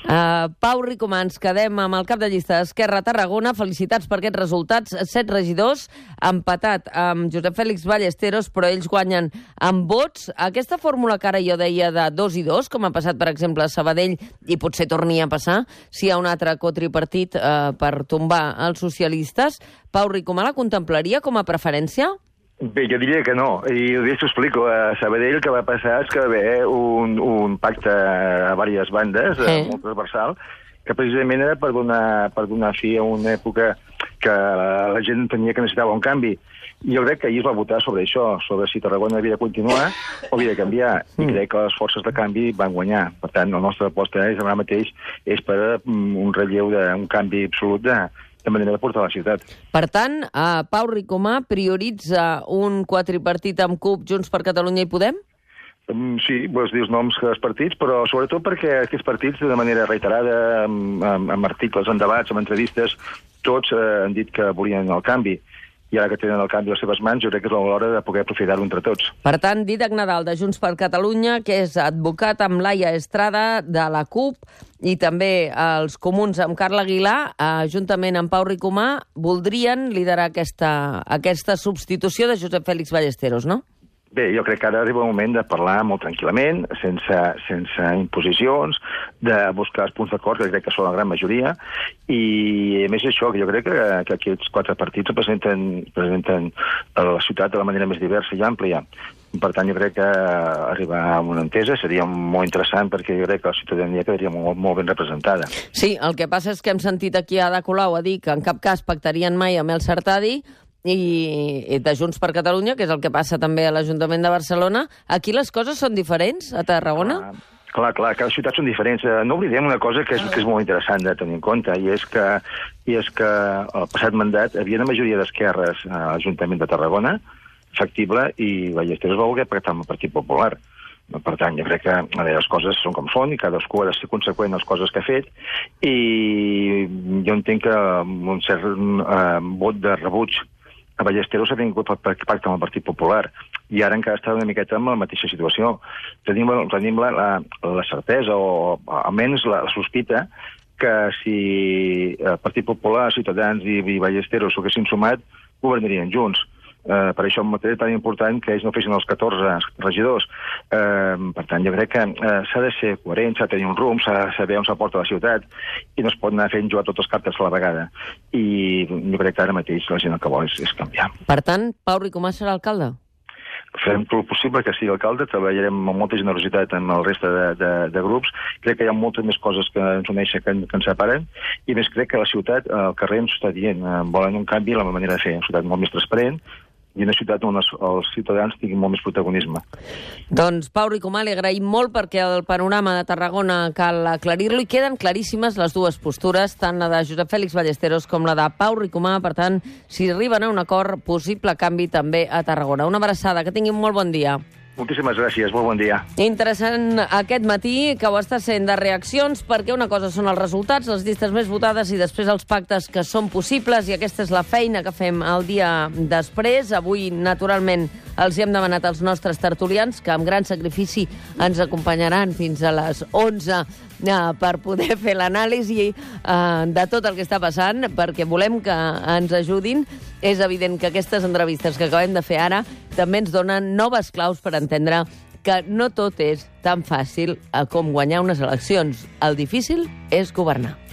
Pau Ricomà, ens quedem amb el cap de llista d'Esquerra a Tarragona. Felicitats per aquests resultats. 7 regidors, empatat amb Josep Fèlix Ballesteros, però ells guanyen amb vots. Aquesta fórmula que ara jo deia de 2 i 2, com ha passat, per exemple, a Sabadell, i potser torni a passar, si hi ha un altre cotripartit per tombar els socialistes, Pau Ricomà la contemplaria com a preferència? Bé, jo diria que no, i t'ho explico. A Sabadell el que va passar és que va haver un pacte a diverses bandes, molt transversal, que precisament era per donar fi a una època que la gent tenia que necessitava un canvi. I jo crec que ahir es va votar sobre això, sobre si Tarragona havia de continuar o havia de canviar, i crec que les forces de canvi van guanyar. Per tant, la nostra aposta ara mateix és per un relleu d'un canvi absolut de manera de portar la ciutat. Per tant, Pau Ricomà prioritza un quatripartit amb CUP, Junts per Catalunya i Podem? Sí, vols dir els noms dels partits, però sobretot perquè aquests partits, de manera reiterada, amb articles, en debats, amb entrevistes, tots han dit que volien el canvi. I ara que tenen el canvi a les seves mans, jo crec que és l'hora de poder aprofitar-ho entre tots. Per tant, Dídac Nadal, de Junts per Catalunya, que és advocat amb Laia Estrada, de la CUP, i també els comuns amb Carla Aguilar, juntament amb Pau Ricomà, voldrien liderar aquesta substitució de Josep Fèlix Ballesteros, no? Bé, jo crec que ara arriba el moment de parlar molt tranquil·lament, sense imposicions, de buscar els punts d'acord, que crec que són la gran majoria, i a més això, que jo crec que aquests 4 partits representen la ciutat de la manera més diversa i àmplia. Per tant, jo crec que arribar a una entesa seria molt interessant, perquè jo crec que la ciutadania quedaria molt ben representada. Sí, el que passa és que hem sentit aquí a Ada Colau a dir que en cap cas pactarien mai amb el Sartadi, i de Junts per Catalunya, que és el que passa també a l'Ajuntament de Barcelona. Aquí les coses són diferents, a Tarragona? Clar, cada ciutat són diferents. No oblidem una cosa que és molt interessant de tenir en compte, i és que el passat mandat havia una majoria d'esquerres a l'Ajuntament de Tarragona, factible, i Ballesteros va voler pactar amb el Partit Popular. Per tant, jo crec que les coses són com són i cadascú ha de ser conseqüent a les coses que ha fet, i jo entenc que un cert vot de rebuig a Ballesteros ha vingut per pacte amb el Partit Popular, i ara encara està una miqueta en la mateixa situació. Tenim la certesa, o almenys la sospita, que si el Partit Popular, Ciutadans i Ballesteros s'ho haguessin sumat, governarien junts. Per això és tan important que ells no fessin els 14 regidors. Per tant, jo crec que s'ha de ser coherent, s'ha de tenir un rumb, s'ha de saber on s'aporta la ciutat, i no es pot anar fent jugar totes les cartes a la vegada. I jo crec que ara mateix la gent el que vol és canviar. Per tant, Pau Ricomà serà alcalde? Farem tot el possible que sigui alcalde, treballarem amb molta generositat amb el reste de grups. Crec que hi ha moltes més coses que ens uneixen que ens separen, i més crec que la ciutat, al carrer ens està dient, volen un canvi en la manera de fer, una ciutat molt més transparent, i una ciutat on els ciutadans tinguin molt més protagonisme. Doncs Pau Ricomà, li agraïm molt, perquè el panorama de Tarragona cal aclarir-lo, i queden claríssimes les dues postures, tant la de Josep Fèlix Ballesteros com la de Pau Ricomà. Per tant, si arriben a un acord, possible canvi també a Tarragona. Una abraçada, que tinguin molt bon dia. Moltíssimes gràcies, molt bon dia. Interessant aquest matí, que ho està sent de reaccions, perquè una cosa són els resultats, les llistes més votades, i després els pactes que són possibles, i aquesta és la feina que fem el dia després. Avui, naturalment, els hi hem demanat als nostres tertulians, que amb gran sacrifici ens acompanyaran fins a les 11 per poder fer l'anàlisi de tot el que està passant, perquè volem que ens ajudin. És evident que aquestes entrevistes que acabem de fer ara també ens donen noves claus per entendre que no tot és tan fàcil com guanyar unes eleccions. El difícil és governar.